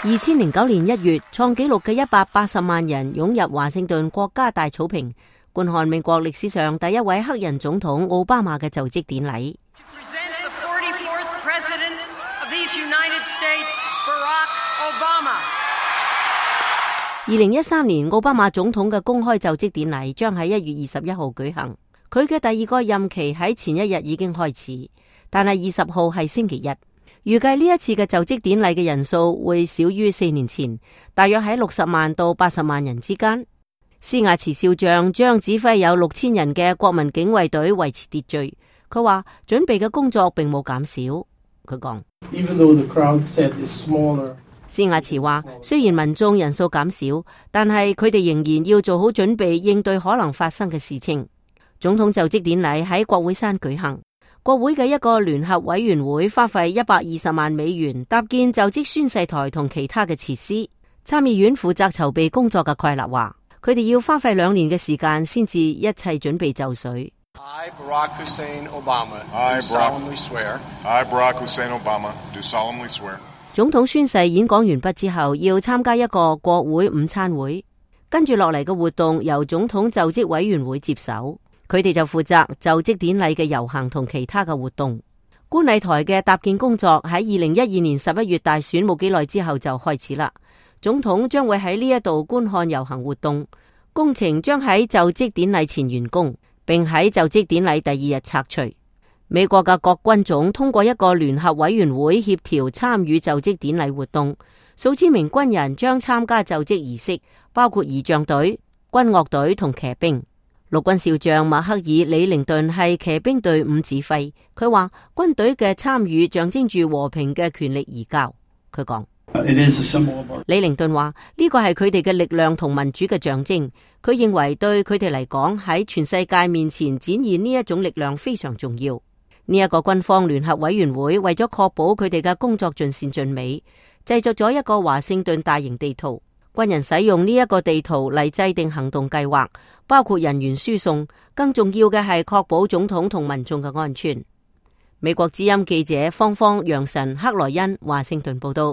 2009年1月，創紀錄嘅180萬人湧入華盛頓國家大草坪，觀看美國歷史上第一位黑人總統奧巴馬嘅就職典禮。2013年，奧巴馬總統嘅公開就職典禮將喺1月21號舉行。佢嘅第二個任期喺前一日已經開始，但係20號係星期日。預計呢一次嘅就職典禮嘅人數會少於4年前，大約喺60萬到80萬人之間。施亞茨少將將指揮有6000人嘅國民警衛隊維持秩序。佢話準備嘅工作並冇減少。佢講，施亞茨話雖然民眾人數減少，但係佢哋仍然要做好準備應對可能發生嘅事情。總統就職典禮喺國會山舉行。國會嘅一個聯合委員會花費120萬美元搭建就職宣誓台同其他嘅設施。參議院負責籌備工作嘅蓋勒話，佢哋要花費2年嘅時間先至一切準備就緒。I, Barack Hussein Obama, do solemnly swear. I, Barack Hussein Obama, do solemnly swear. 總統宣誓演講完畢之後，要參加一個國會午餐會，跟住落嚟嘅活動由總統就職委員會接手。佢哋就負責就職典禮嘅遊行同其他嘅活動。觀禮台嘅搭建工作喺2012年11月大選冇幾耐之後就開始啦。總統將會喺呢一度觀看遊行活動，工程將喺就職典禮前完工，並喺就職典禮第2日拆除。美國嘅各軍種通過一個聯合委員會協調參與就職典禮活動，數千名軍人將參加就職儀式，包括儀仗隊、軍樂隊同騎兵。陸軍少將麥克爾李寧頓係騎兵隊伍指揮，佢話軍隊嘅參與象徵住和平嘅權力移交。佢講，李寧頓話呢個係佢哋嘅力量同民主嘅象徵。佢認為對佢哋嚟講，喺全世界面前展現呢一種力量非常重要。呢一個軍方聯合委員會為咗確保佢哋嘅工作盡善盡美，製作咗一個華盛頓大型地圖。軍人使用呢一個地圖嚟制定行動計劃，包括人員輸送，更重要嘅係確保總統同民眾嘅安全。美國之音記者方方楊臣克萊恩華盛頓報道。